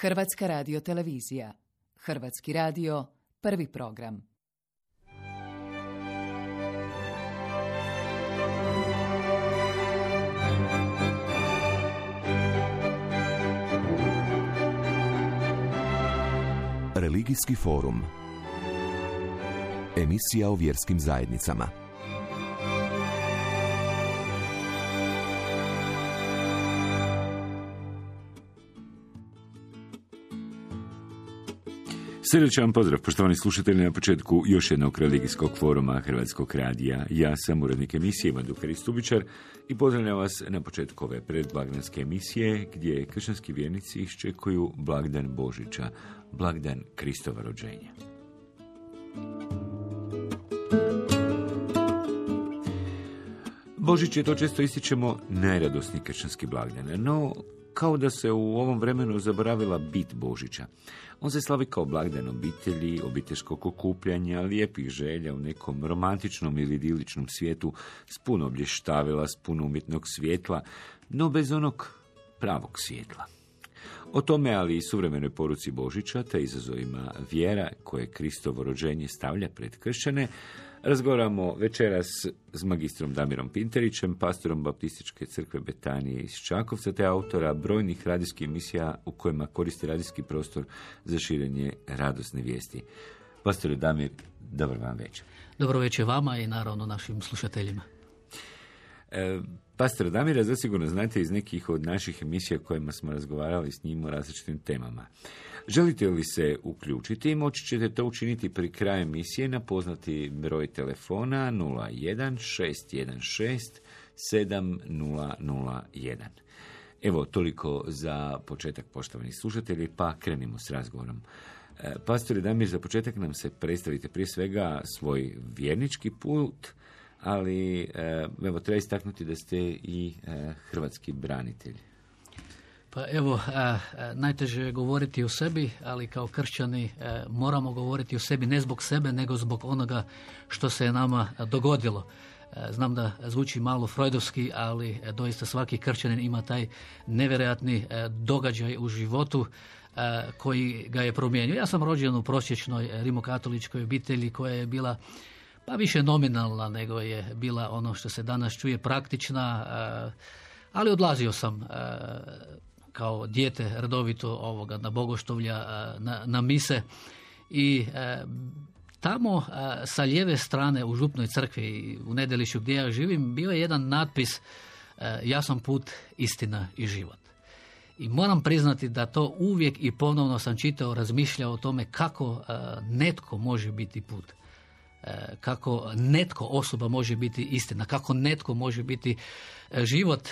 Hrvatska radiotelevizija. Hrvatski radio, prvi program. Religijski forum. Emisija o vjerskim zajednicama. Srdačan pozdrav, poštovani slušatelji, na početku još jednog religijskog foruma Hrvatskog radija. Ja sam urednik emisije Ivan Dukarić-Stubičar i pozdravljam vas na početku ove predblagdanske emisije gdje kršćanski vjernici iščekuju blagdan Božića, blagdan Kristova rođenja. Božić je, to često ističemo, najradosniji kršćanski blagdan, no kao da se u ovom vremenu zaboravila bit Božića. On se slavi kao blagdan obitelji, obiteljskog okupljanja, lijepih želja u nekom romantičnom ili idiličnom svijetu s puno blještavila, s puno umjetnog svjetla, no bez onog pravog svjetla. O tome, ali i suvremenoj poruci Božića, te izazovima vjera koje Kristovo rođenje stavlja pred kršćane, razgovaramo večeras s magistrom Damirom Pinterićem, pastorom Baptističke crkve Betanije iz Čakovca, te autora brojnih radijskih emisija u kojima koristi radijski prostor za širenje radosne vijesti. Pastore Damir, dobar vam večer. Dobro večer vama i naravno našim slušateljima. Pastor Damira zasigurno znate iz nekih od naših emisija kojima smo razgovarali s njim o različitim temama. Želite li se uključiti, moći ćete to učiniti pri kraju emisije na poznati broj telefona 01-616-7001. Evo, toliko za početak, poštovani slušatelji, pa krenimo s razgovorom. Pastore Damir, za početak nam se predstavite prije svega svoj vjernički put, ali evo, treba istaknuti da ste i hrvatski branitelj. Pa evo, najteže je govoriti o sebi, ali kao kršćani moramo govoriti o sebi ne zbog sebe, nego zbog onoga što se je nama dogodilo. Znam da zvuči malo freudovski, ali doista svaki kršćanin ima taj nevjerojatni događaj u životu koji ga je promijenio. Ja sam rođen u prosječnoj rimokatoličkoj obitelji koja je bila pa više nominalna nego je bila ono što se danas čuje praktična, ali odlazio sam kao dijete redovito na bogoštovlja, na mise i tamo sa lijeve strane u župnoj crkvi u Nedelišću gdje ja živim bio je jedan natpis ja sam put, istina i život. I moram priznati da to uvijek i ponovno sam čitao, razmišljao o tome kako netko može biti put. Kako netko osoba može biti istina, kako netko može biti život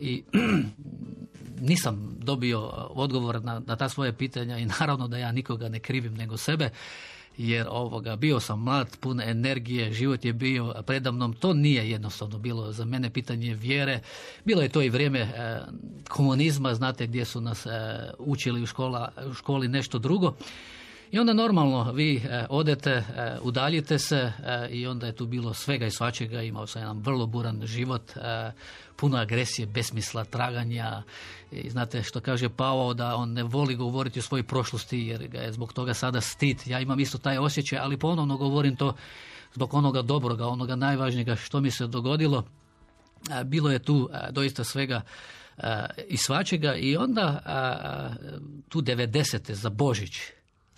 i nisam dobio odgovor na ta svoje pitanja i naravno da ja nikoga ne krivim nego sebe, jer bio sam mlad, pun energije, život je bio predamnom, to nije jednostavno bilo za mene pitanje vjere. Bilo je to i vrijeme komunizma, znate, gdje su nas učili u školi nešto drugo. I onda normalno vi odete, udaljite se i onda je tu bilo svega i svačega. Imao sam jedan vrlo buran život, puno agresije, besmisla, traganja. I znate što kaže Pavao, da on ne voli govoriti o svojoj prošlosti jer ga je zbog toga sada stid. Ja imam isto taj osjećaj, ali ponovno govorim to zbog onoga dobroga, onoga najvažnijega što mi se dogodilo. Bilo je tu doista svega i svačega i onda tu 90. za Božić.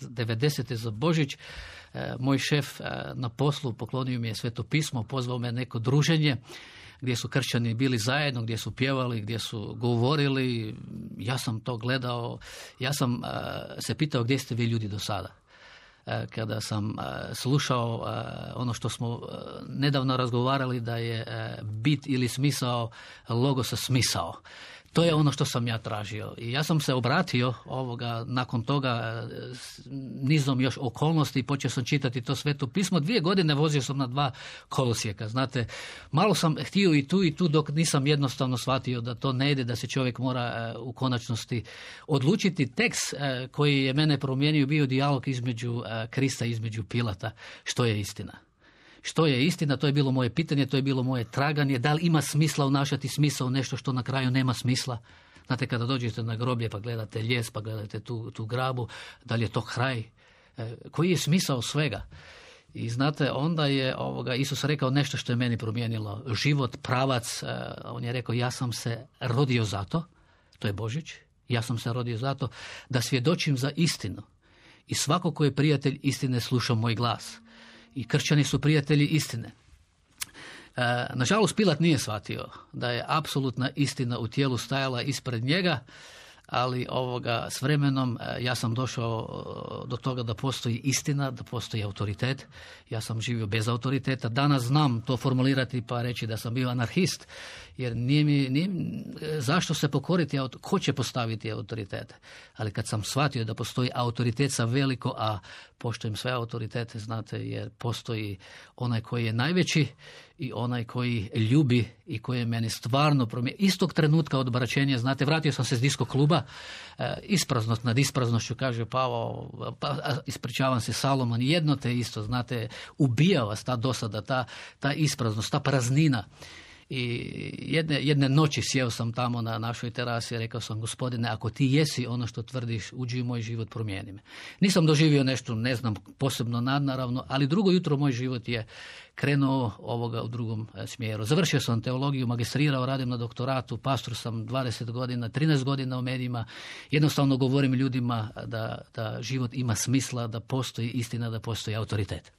90. za Božić, moj šef na poslu poklonio mi je Sveto pismo, pozvao me neko druženje gdje su kršćani bili zajedno, gdje su pjevali, gdje su govorili. Ja sam to gledao, ja sam se pitao gdje ste vi ljudi do sada. Kada sam slušao ono što smo nedavno razgovarali da je bit ili smisao logosa smisao. To je ono što sam ja tražio. I ja sam se obratio nakon toga nizom još okolnosti i počeo sam čitati to Sveto pismo. 2 godine vozio sam na 2 kolosijeka. Znate, malo sam htio i tu dok nisam jednostavno shvatio da to ne ide, da se čovjek mora u konačnosti odlučiti. Tekst koji je mene promijenio bio dijalog između Krista i između Pilata. Što je istina? Što je istina, to je bilo moje pitanje, to je bilo moje traganje. Da li ima smisla unašati smisao nešto što na kraju nema smisla? Znate, kada dođete na groblje pa gledate lijes, pa gledate tu grabu, da li je to kraj? Koji je smisao svega? I znate, onda je Isus rekao nešto što je meni promijenilo život, pravac. On je rekao, ja sam se rodio zato, to je Božić, ja sam se rodio zato da svjedočim za istinu. I svako ko je prijatelj istine sluša moj glas. I kršćani su prijatelji istine. Nažalost, Pilat nije shvatio da je apsolutna istina u tijelu stajala ispred njega, ali s vremenom ja sam došao do toga da postoji istina, da postoji autoritet. Ja sam živio bez autoriteta. Danas znam to formulirati pa reći da sam bio anarhist, jer nije zašto se pokoriti, ko će postaviti autoritete. Ali kad sam shvatio da postoji autoritet sa veliko, a poštujem sve autoritete, znate, jer postoji onaj koji je najveći i onaj koji ljubi i koji je meni stvarno promijenio. Istog trenutka odbraćenja, znate, vratio sam se s disko kluba, ispraznost nad ispraznošću, kaže Pavao, ispričavam se Salomon, jedno te isto, znate, ubija vas ta dosada, ta ispraznost, ta praznina. I jedne noći sjeo sam tamo na našoj terasi i rekao sam, Gospodine, ako ti jesi ono što tvrdiš, uđi u moj život, promijeni me. Nisam doživio nešto, ne znam, posebno nadnaravno, ali drugo jutro moj život je krenuo u drugom smjeru. Završio sam teologiju, magistrirao, radim na doktoratu, pastor sam 20 godina, 13 godina u medijima. Jednostavno govorim ljudima da život ima smisla, da postoji istina, da postoji autoritet.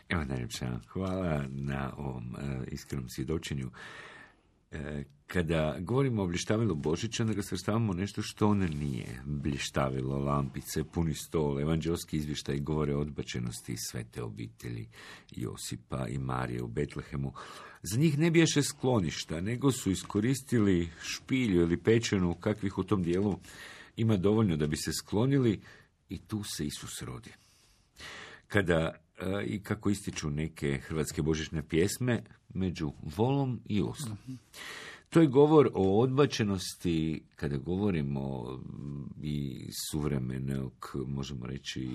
Evo, najljepša hvala na ovom iskrenom svjedočenju. Kada govorimo o blještavilo Božića, onda ga svrstavamo nešto što on nije. Blještavilo, lampice, puni stol, evanđelski izvještaj govore o odbačenosti svete obitelji Josipa i Marije u Betlehemu. Za njih ne bijaše skloništa, nego su iskoristili špilju ili pečenu, kakvih u tom dijelu ima dovoljno da bi se sklonili, i tu se Isus rodi. Kada i kako ističu neke hrvatske božićne pjesme, među volom i oslom. To je govor o odbačenosti, kada govorimo i suvremenog, možemo reći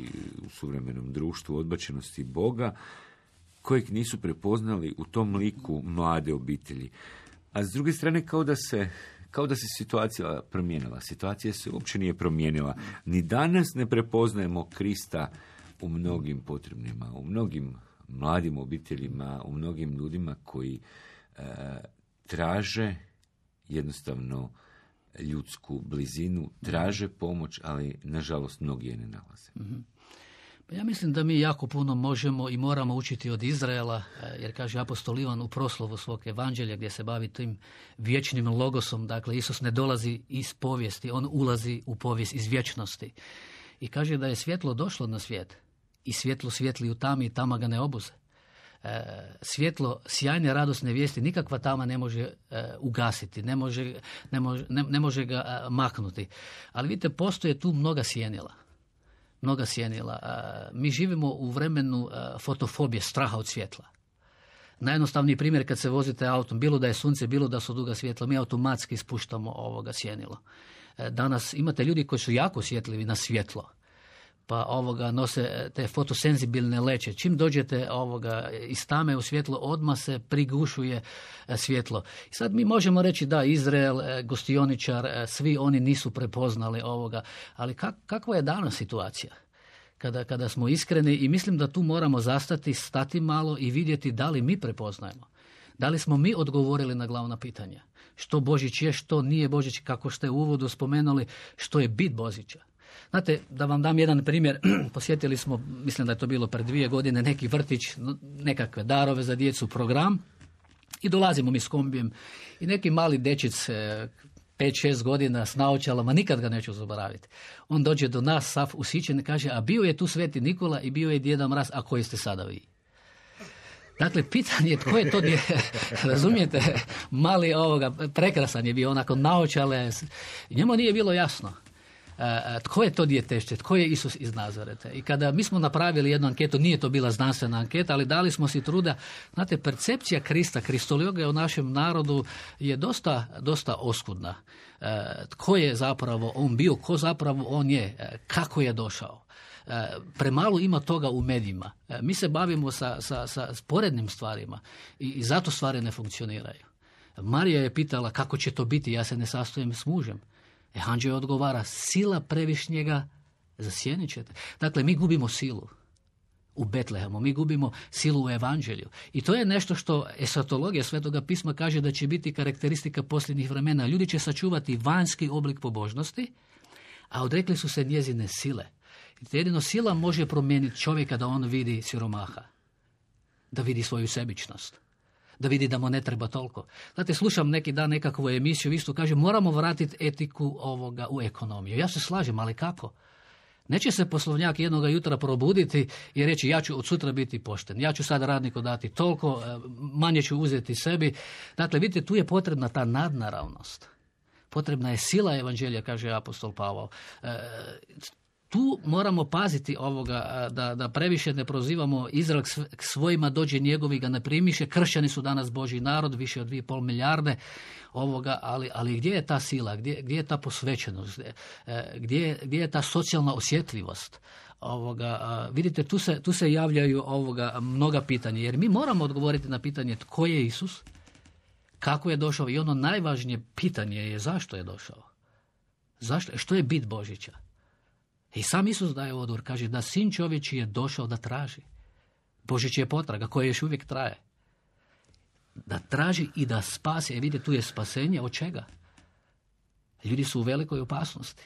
u suvremenom društvu, odbačenosti Boga, kojeg nisu prepoznali u tom liku mlade obitelji. A s druge strane, kao da se situacija promijenila. Situacija se uopće nije promijenila. Ni danas ne prepoznajemo Krista u mnogim potrebnima, u mnogim mladim obiteljima, u mnogim ljudima koji traže jednostavno ljudsku blizinu, traže pomoć, ali nažalost mnogi je ne nalaze. Ja mislim da mi jako puno možemo i moramo učiti od Izraela, jer kaže apostol Ivan u proslovu svog evanđelja gdje se bavi tim vječnim logosom. Dakle, Isus ne dolazi iz povijesti, on ulazi u povijest iz vječnosti. I kaže da je svjetlo došlo na svijet i svjetlo svijetli u tami i tama ga ne obuze. Svjetlo sjajne radosne vijesti nikakva tama ne može ugasiti, ne može ga maknuti. Ali vidite, postoje tu mnoga sjenila. Mi živimo u vremenu fotofobije, straha od svjetla. Najjednostavniji primjer, kad se vozite autom, bilo da je sunce, bilo da su duga svjetla, mi automatski ispuštamo sjenilo. Danas imate ljudi koji su jako osjetljivi na svjetlo, pa nose te fotosenzibilne leće. Čim dođete iz tame u svjetlo, odmah se prigušuje svjetlo. I sad mi možemo reći da Izrael, gostioničar, svi oni nisu prepoznali ovoga, ali kakva je danas situacija? Kada smo iskreni, i mislim da tu moramo stati malo i vidjeti da li mi prepoznajemo. Da li smo mi odgovorili na glavna pitanja? Što Božić je, što nije Božić, kako ste u uvodu spomenuli, što je bit Božića. Znate, da vam dam jedan primjer, posjetili smo, mislim da je to bilo pred 2 godine, neki vrtić, nekakve darove za djecu, program, i dolazimo mi s kombijem i neki mali dečic, 5-6 godina s naočalama, nikad ga neću zaboraviti. On dođe do nas, sav usićen, kaže, a bio je tu Sveti Nikola i bio je Djeda Mraz, a koji ste sada vi? Dakle, pitanje je tko je to, razumijete, mali prekrasan je bio, onako naočale, njemu nije bilo jasno. Tko je to djetešće, tko je Isus iz Nazareta. I kada mi smo napravili jednu anketu, nije to bila znanstvena anketa, ali dali smo si truda. Znate, percepcija Krista, kristologija u našem narodu je dosta oskudna. Tko je zapravo on bio, ko zapravo on je, kako je došao. Premalo ima toga u medijima. Mi se bavimo sa sporednim stvarima i zato stvari ne funkcioniraju. Marija je pitala kako će to biti, ja se ne sastojem s mužem. Anđeo odgovara, sila previšnjega zasjenit ćete. Dakle, mi gubimo silu u Betlehemu, mi gubimo silu u evanđelju. I to je nešto što esatologija Svetoga pisma kaže da će biti karakteristika posljednjih vremena. Ljudi će sačuvati vanjski oblik pobožnosti, a odrekli su se njezine sile. I jedino sila može promijeniti čovjeka da on vidi siromaha, da vidi svoju sebičnost, da vidi da mu ne treba toliko. Znate, slušam neki dan nekakvu emisiju, isto kaže, moramo vratiti etiku u ekonomiju. Ja se slažem, ali kako? Neće se poslovnjak jednoga jutra probuditi i reći ja ću od sutra biti pošten, ja ću sad radniku dati toliko, manje ću uzeti sebi. Dakle, vidite, tu je potrebna ta nadnaravnost. Potrebna je sila evanđelja, kaže apostol Pavao. Tu moramo paziti da previše ne prozivamo Izrael k svojima dođe njegovi ga ne primiše. Kršćani su danas Božji narod, više od 2,5 milijarde ali gdje je ta sila, gdje je ta posvećenost, gdje je ta socijalna osjetljivost? Vidite, tu se javljaju mnoga pitanja, jer mi moramo odgovoriti na pitanje tko je Isus, kako je došao i ono najvažnije pitanje je zašto je došao. Što je bit Božića? I sam Isus daje odgovor, kaže da sin čovječji je došao da traži. Božić je potraga koja još uvijek traje. Da traži i da spasi. Vidite, tu je spasenje od čega? Ljudi su u velikoj opasnosti.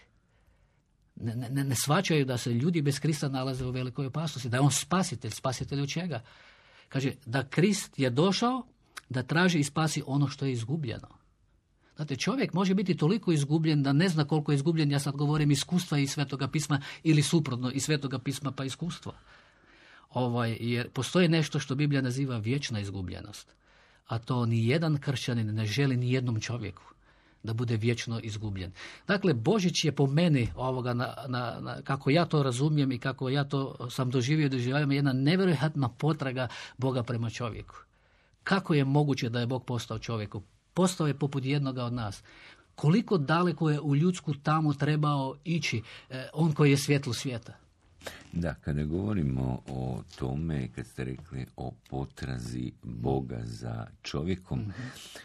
Ne shvaćaju da se ljudi bez Krista nalaze u velikoj opasnosti. Da je on spasitelj. Spasitelj od čega? Kaže da Krist je došao da traži i spasi ono što je izgubljeno. Znate, čovjek može biti toliko izgubljen da ne zna koliko je izgubljen, ja sad govorim iskustva iz Svetoga pisma ili suprotno iz Svetoga pisma pa iskustva. Jer postoji nešto što Biblija naziva vječna izgubljenost, a to ni jedan kršćanin ne želi ni jednom čovjeku da bude vječno izgubljen. Dakle, Božić je po meni kako ja to razumijem i kako ja to sam doživljavam jedna nevjerojatna potraga Boga prema čovjeku. Kako je moguće da je Bog postao čovjeku? Postao je poput jednoga od nas. Koliko daleko je u ljudsku tamu trebao ići on koji je svjetlo svijeta? Da, kada govorimo o tome, kad ste rekli o potrazi Boga za čovjekom,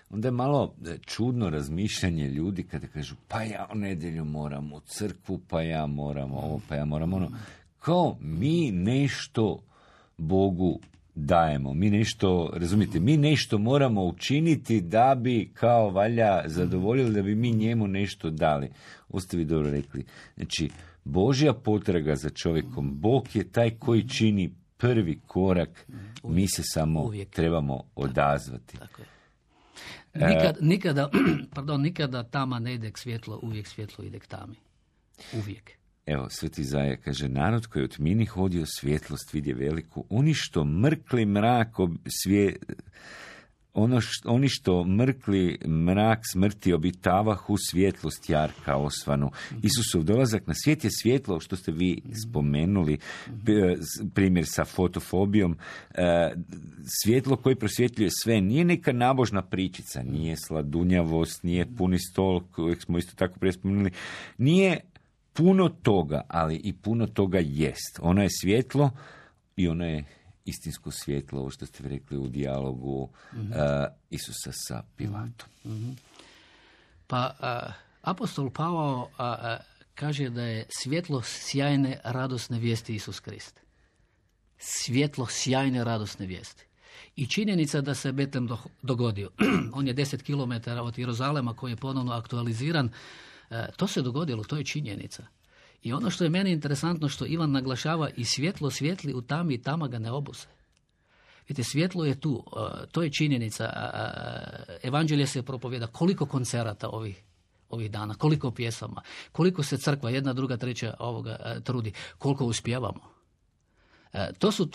onda je malo čudno razmišljanje ljudi kada kažu pa ja u nedjelju moram u crkvu, pa ja moram ovo, pa ja moram ono. Kao mi nešto Bogu dajemo, mi nešto, razumijete, mi nešto moramo učiniti da bi kao valja zadovoljili, da bi mi njemu nešto dali. Oste vi dobro rekli. Znači, Božja potraga za čovjekom, Bog je taj koji čini prvi korak, mi se samo trebamo odazvati. Tako je. Nikada tama ne ide k svjetlo, uvijek svjetlo ide k tami. Uvijek. Evo, Sveti Izaja kaže, narod koji od tmini hodio svjetlost vidje veliku, oni što mrkli mrak smrti obitavahu svjetlost jarka osvanu. Isusov dolazak na svijet je svjetlo, što ste vi spomenuli, primjer sa fotofobijom, svjetlo koje prosvjetljuje sve, nije neka nabožna pričica, nije sladunjavost, nije puni stol, kojeg smo isto tako prije spomenuli, nije puno toga, ali i puno toga jest. Ono je svjetlo i ono je istinsko svjetlo, ovo što ste vi rekli u dijalogu Isusa sa Pilatom. Pa apostol Pavao kaže da je svjetlo sjajne radosne vijesti Isus Krist. Svjetlo sjajne radosne vijesti. I činjenica da se Betlem dogodio. On je 10 km od Jeruzalema koji je ponovno aktualiziran. To se dogodilo, to je činjenica. I ono što je meni interesantno, što Ivan naglašava, i svjetlo svijetli u tami i tama ga ne obuse. Vidite, svjetlo je tu, to je činjenica. Evanđelje se propovjeda, koliko koncerata ovih dana, koliko pjesama, koliko se crkva, jedna, druga, treća trudi, koliko uspijevamo. To su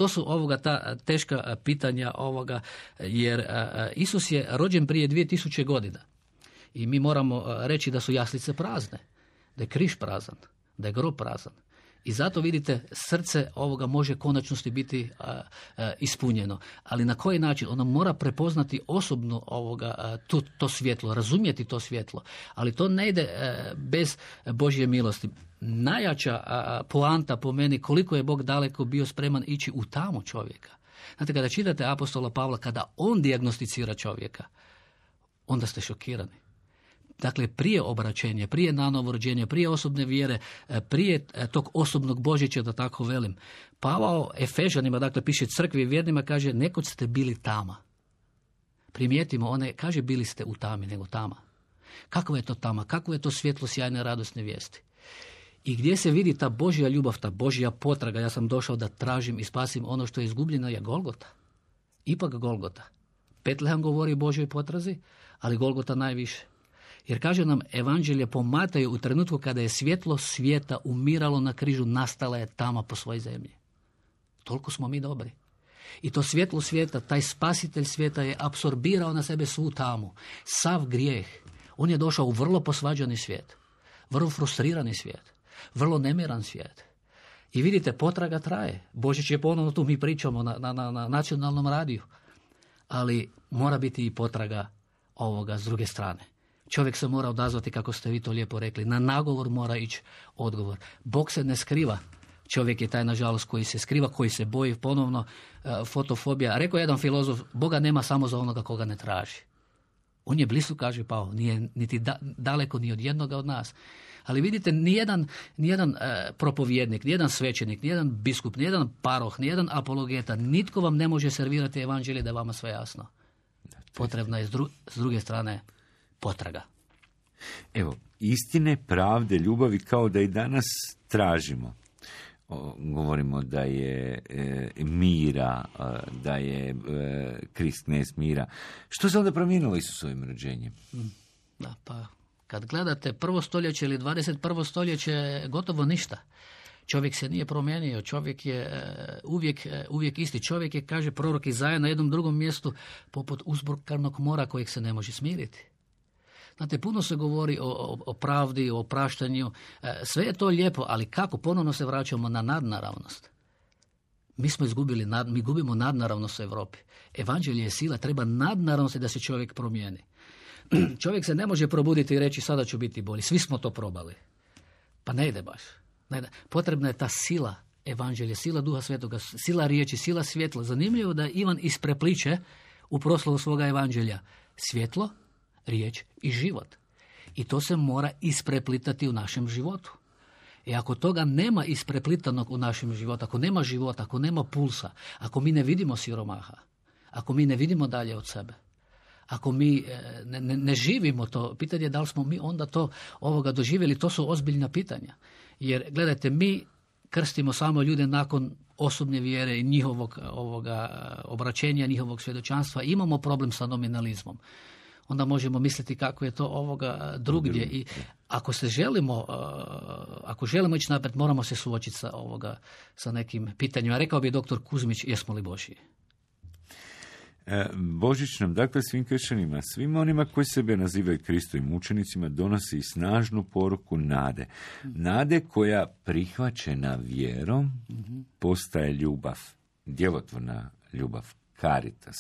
ta teška pitanja jer Isus je rođen prije 2000 godina. I mi moramo reći da su jaslice prazne, da je križ prazan, da je grob prazan. I zato vidite, srce ovoga može konačnosti biti ispunjeno. Ali na koji način? Ono mora prepoznati osobno to svjetlo, razumjeti to svjetlo. Ali to ne ide bez Božje milosti. Najjača poanta po meni, koliko je Bog daleko bio spreman ići u tamu čovjeka. Znate, kada čitate apostola Pavla, kada on dijagnosticira čovjeka, onda ste šokirani. Dakle, prije obraćenja, prije nanovo rođenja, prije osobne vjere, prije tog osobnog Božića, da tako velim. Pavao Efežanima, dakle, piše crkvi i vjernima, kaže, nekoć ste bili tama. Primijetimo, one kaže, bili ste u tami, nego tama. Kakva je to tama? Kakvo je to svjetlo sjajne radosne vijesti? I gdje se vidi ta Božja ljubav, ta Božja potraga? Ja sam došao da tražim i spasim ono što je izgubljeno, je Golgota. Ipak Golgota. Betlehem govori o Božjoj potrazi, ali Golgota najviše. Jer kaže nam Evanđelje po Mateju, u trenutku kada je svjetlo svijeta umiralo na križu, nastala je tama po svojoj zemlji. Toliko smo mi dobri. I to svjetlo svijeta, taj spasitelj svijeta je apsorbirao na sebe svu tamu, sav grijeh. On je došao u vrlo posvađani svijet, vrlo frustrirani svijet, vrlo nemiran svijet. I vidite, potraga traje. Božić je ponovno tu, mi pričamo na nacionalnom radiju. Ali mora biti i potraga ovoga s druge strane. Čovjek se mora odazvati, kako ste vi to lijepo rekli. Na nagovor mora ići odgovor. Bog se ne skriva. Čovjek je taj, nažalost, koji se skriva, koji se boji ponovno, fotofobija. Rekao je jedan filozof, Boga nema samo za onoga koga ne traži. On je blizu, kaže Pavao, nije niti daleko ni od jednoga od nas. Ali vidite, nijedan propovjednik, nijedan svećenik, nijedan biskup, nijedan paroh, nijedan apologeta, nitko vam ne može servirati evanđelje da je vama sve jasno. Potrebna je s druge strane potraga. Evo, istine, pravde, ljubavi kao da i danas tražimo. Govorimo da je mira, da je Krist knez mira. Što se onda promijenilo Isusovim rođenjem? Da, pa kad gledate 1. stoljeće ili 21. stoljeće, gotovo ništa. Čovjek se nije promijenio, čovjek je uvijek isti. Čovjek je, kaže prorok Izaja na jednom drugom mjestu, poput uzburkanog mora kojeg se ne može smiriti. Znate, puno se govori o pravdi, o opraštanju, sve je to lijepo, ali kako? Ponovno se vraćamo na nadnaravnost. Mi gubimo nadnaravnost u Europi. Evanđelje je sila, treba nadnaravnosti da se čovjek promijeni. Čovjek se ne može probuditi i reći sada ću biti bolji. Svi smo to probali. Pa ne ide baš. Potrebna je ta sila evanđelja, sila Duha Svetoga, sila riječi, sila svjetla. Zanimljivo da Ivan isprepliče u proslovu svoga evanđelja svjetlo, riječ i život. I to se mora ispreplitati u našem životu. I ako toga nema ispreplitanog u našem životu, ako nema života, ako nema pulsa, ako mi ne vidimo siromaha, ako mi ne vidimo dalje od sebe, ako mi ne živimo to, pitanje je da li smo mi onda to doživjeli, to su ozbiljna pitanja. Jer gledajte, mi krstimo samo ljude nakon osobne vjere i njihovog obraćenja, njihovog svjedočanstva. Imamo problem sa nominalizmom. Onda možemo misliti kako je to drugdje. I ako želimo ići naprijed, moramo se suočiti sa nekim pitanjima. Rekao bi doktor Kuzmić, jesmo li Božji? Božić nam, dakle, svim kršćanima, svima onima koji sebe nazivaju Kristovim učenicima, donosi i snažnu poruku nade. Nade koja prihvaćena vjerom postaje ljubav, djelotvorna ljubav, caritas.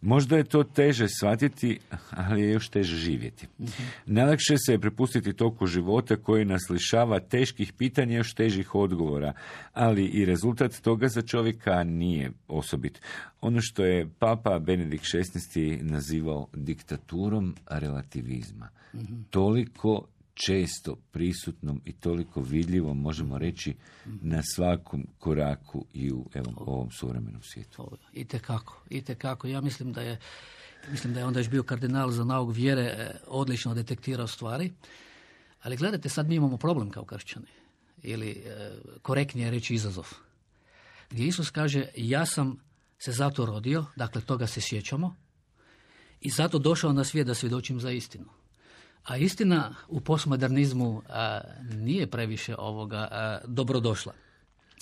Možda je to teže shvatiti, ali je još teže živjeti. Najlakše se je prepustiti toku života koji nas lišava teških pitanja, još težih odgovora, ali i rezultat toga za čovjeka nije osobit. Ono što je Papa Benedikt XVI nazivao diktaturom relativizma. Toliko često prisutnom i toliko vidljivom, možemo reći, na svakom koraku i u ovom suvremenom svijetu. Itekako. Ja mislim da je onda još bio kardinal za nauk vjere odlično detektirao stvari. Ali gledajte, sad mi imamo problem kao kršćani. Ili korektnije reći izazov. Gdje Isus kaže, ja sam se zato rodio, dakle toga se sjećamo, i zato došao na svijet da svjedočim za istinu. A istina u postmodernizmu nije previše dobrodošla.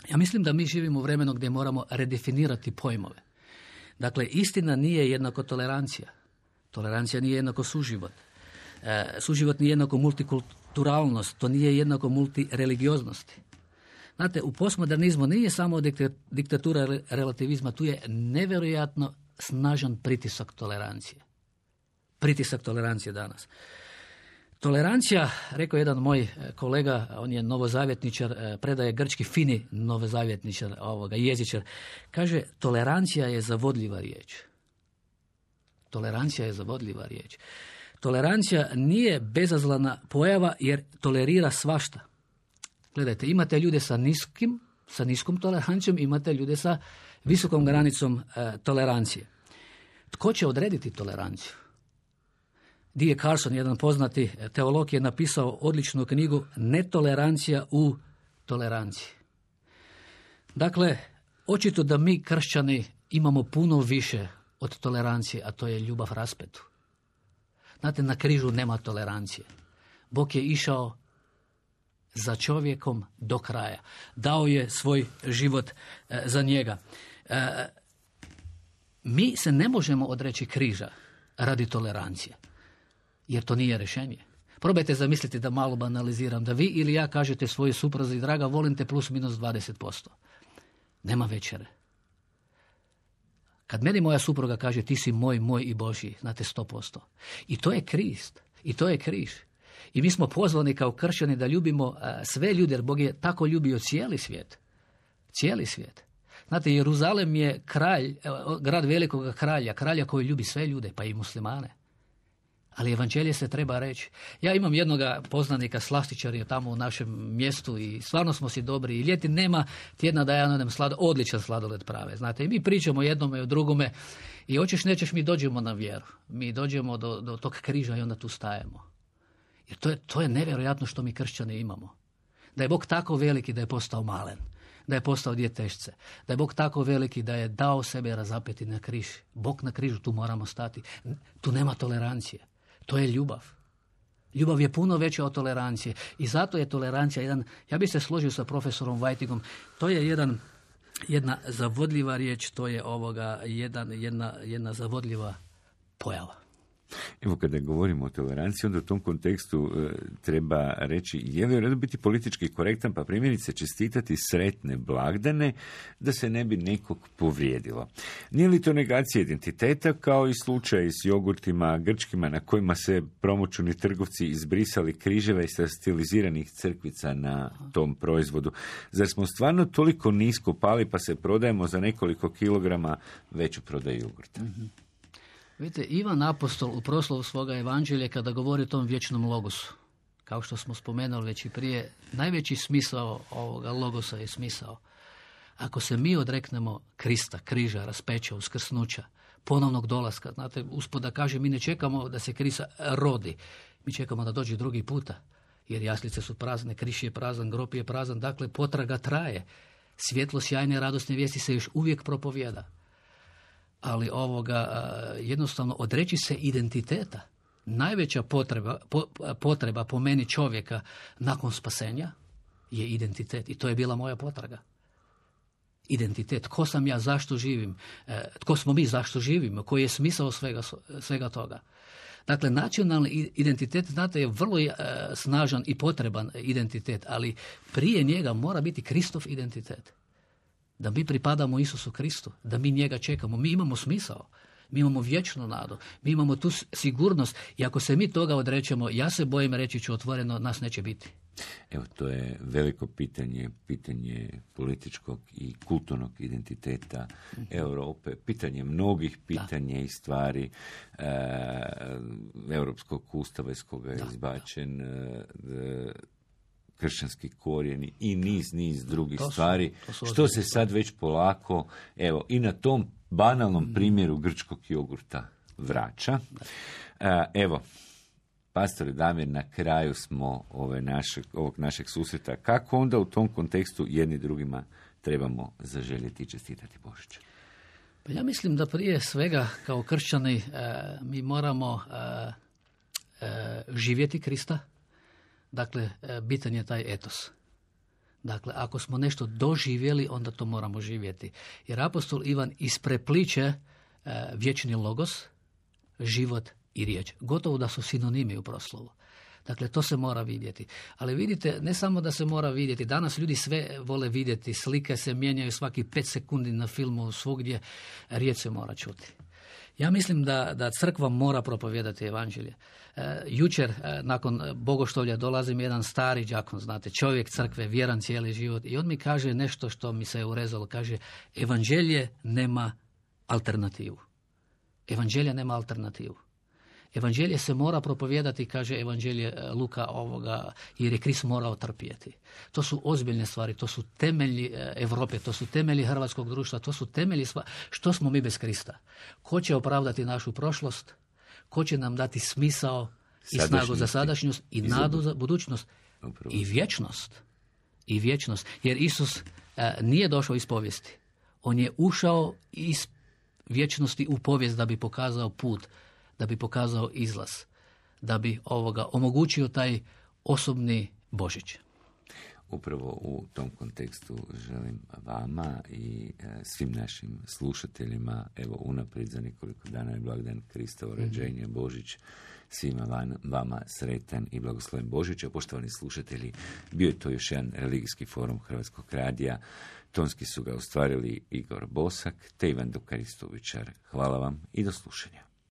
Ja mislim da mi živimo u vremenu gdje moramo redefinirati pojmove. Dakle, istina nije jednako tolerancija. Tolerancija nije jednako suživot. Suživot nije jednako multikulturalnost. To nije jednako multireligioznosti. Znate, u postmodernizmu nije samo diktatura relativizma, tu je nevjerojatno snažan pritisak tolerancije. Pritisak tolerancije danas. Tolerancija, rekao jedan moj kolega, on je novozavjetničar, predaje grčki, fini novozavjetničar, jezičar, kaže, tolerancija je zavodljiva riječ. Tolerancija je zavodljiva riječ. Tolerancija nije bezazlena pojava jer tolerira svašta. Gledajte, imate ljude sa niskom tolerancijom, imate ljude sa visokom granicom tolerancije. Tko će odrediti toleranciju? D.A. Carson, jedan poznati teolog, je napisao odličnu knjigu Netolerancija u toleranciji. Dakle, očito da mi kršćani imamo puno više od tolerancije, a to je ljubav raspetu. Znate, na križu nema tolerancije. Bog je išao za čovjekom do kraja. Dao je svoj život za njega. Mi se ne možemo odreći križa radi tolerancije, jer to nije rješenje. Probajte zamisliti, da malo banaliziram, da vi ili ja kažete svojoj supruzi: draga, volim te plus minus 20%. Nema večere. Kad meni moja supruga kaže: ti si moj i Božji, znate, 100%. I to je Krist. I to je križ. I mi smo pozvani kao kršćani da ljubimo sve ljude, jer Bog je tako ljubio cijeli svijet. Cijeli svijet. Znate, Jeruzalem je grad velikog kralja koji ljubi sve ljude, pa i muslimane. Ali evanđelje se treba reći. Ja imam jednoga poznanika, slastičar je tamo u našem mjestu i stvarno smo si dobri. I ljeti nema tjedna da ja nadam odličan sladoled prave. Znate, i mi pričamo jednome i o drugome i hoćeš nećeš, mi dođemo na vjeru. Mi dođemo do tog križa i onda tu stajemo. Jer to je nevjerojatno što mi kršćani imamo. Da je Bog tako veliki da je postao malen. Da je postao djetešce. Da je Bog tako veliki da je dao sebe razapeti na križ. Bog na križu, tu moramo stati. Tu nema tolerancije. To je ljubav. Ljubav je puno veća od tolerancije. I zato je tolerancija jedan, ja bih se složio sa profesorom Whitingom, to je jedna zavodljiva riječ, to je jedna zavodljiva pojava. Evo, kada govorimo o toleranciji, onda u tom kontekstu treba reći, je li u redu biti politički korektan, pa primjerice čestitati sretne blagdane da se ne bi nekog povrijedilo. Nije li to negacija identiteta, kao i slučaj s jogurtima grčkima na kojima se promoćuni trgovci izbrisali križeve sa stiliziranih crkvica na tom proizvodu? Zar smo stvarno toliko nisko pali pa se prodajemo za nekoliko kilograma veću prodaju jogurta? Mm-hmm. Vidite, Ivan Apostol u proslovu svoga evanđelja, kada govori o tom vječnom logosu, kao što smo spomenuli već i prije, najveći smisao ovoga logosa je smisao. Ako se mi odreknemo Krista, križa, raspeća, uskrsnuća, ponovnog dolaska, znate, Usput da kaže, mi ne čekamo da se Krista rodi, mi čekamo da dođe drugi puta, jer jaslice su prazne, križ je prazan, grob je prazan, dakle potraga traje. Svjetlo sjajne radosne vijesti se još uvijek propovijeda. Ali jednostavno odreći se identiteta. Najveća potreba po meni čovjeka nakon spasenja je identitet. I to je bila moja potraga. Identitet. Tko sam ja, zašto živim? Tko smo mi, zašto živimo? Koji je smisao svega toga? Dakle, nacionalni identitet, znate, je vrlo snažan i potreban identitet, ali prije njega mora biti Kristov identitet. Da mi pripadamo Isusu Kristu, da mi njega čekamo. Mi imamo smisao, mi imamo vječnu nadu, mi imamo tu sigurnost i ako se mi toga odrećemo, ja se bojim, reći ću otvoreno, nas neće biti. Evo, to je veliko pitanje političkog i kulturnog identiteta Europe, pitanje mnogih pitanja i stvari Europskog ustava iz koga je izbačen kršćanski korijeni i niz drugih stvari, što se sad već polako, evo, i na tom banalnom primjeru grčkog jogurta vraća. Evo, pastore Damir, na kraju smo ovog našeg susreta. Kako onda u tom kontekstu jedni drugima trebamo zaželjeti i čestitati Božić? Pa ja mislim da prije svega kao kršćani mi moramo živjeti Krista. Dakle, bitan je taj etos. Dakle, ako smo nešto doživjeli, onda to moramo živjeti. Jer apostol Ivan isprepliče vječni logos, život i riječ. Gotovo da su sinonimi u proslovu. Dakle, to se mora vidjeti. Ali vidite, ne samo da se mora vidjeti. Danas ljudi sve vole vidjeti. Slike se mijenjaju svaki 5 sekundi na filmu, svugdje riječ se mora čuti. Ja mislim da crkva mora propovijedati evanđelje. Jučer, nakon bogoštovlja, dolazi mi jedan stari đakon, znate, čovjek crkve, vjeran cijeli život, i on mi kaže nešto što mi se je urezalo. Kaže, evanđelje nema alternativu. Evanđelje nema alternativu. Evanđelje se mora propovijedati, kaže Evanđelje Luka jer je Krist morao trpjeti. To su ozbiljne stvari, to su temelji Europe, to su temelji hrvatskog društva, to su temelji što smo mi bez Krista. Ko će opravdati našu prošlost? Ko će nam dati smisao i snagu za sadašnjost i nadu za budućnost? Upravo. I vječnost. Jer Isus nije došao iz povijesti. On je ušao iz vječnosti u povijest da bi pokazao put, da bi pokazao izlaz, da bi omogućio taj osobni Božić. Upravo u tom kontekstu želim vama i svim našim slušateljima, evo unaprijed za nekoliko dana je blagdan Kristovo rođenje, Božić, svima vama sretan i blagosloven Božić. A poštovani slušatelji, bio je to još jedan religijski forum Hrvatskog radija. Tonski su ga ostvarili Igor Bosak te Ivan Dukaristovičar. Hvala vam i do slušanja.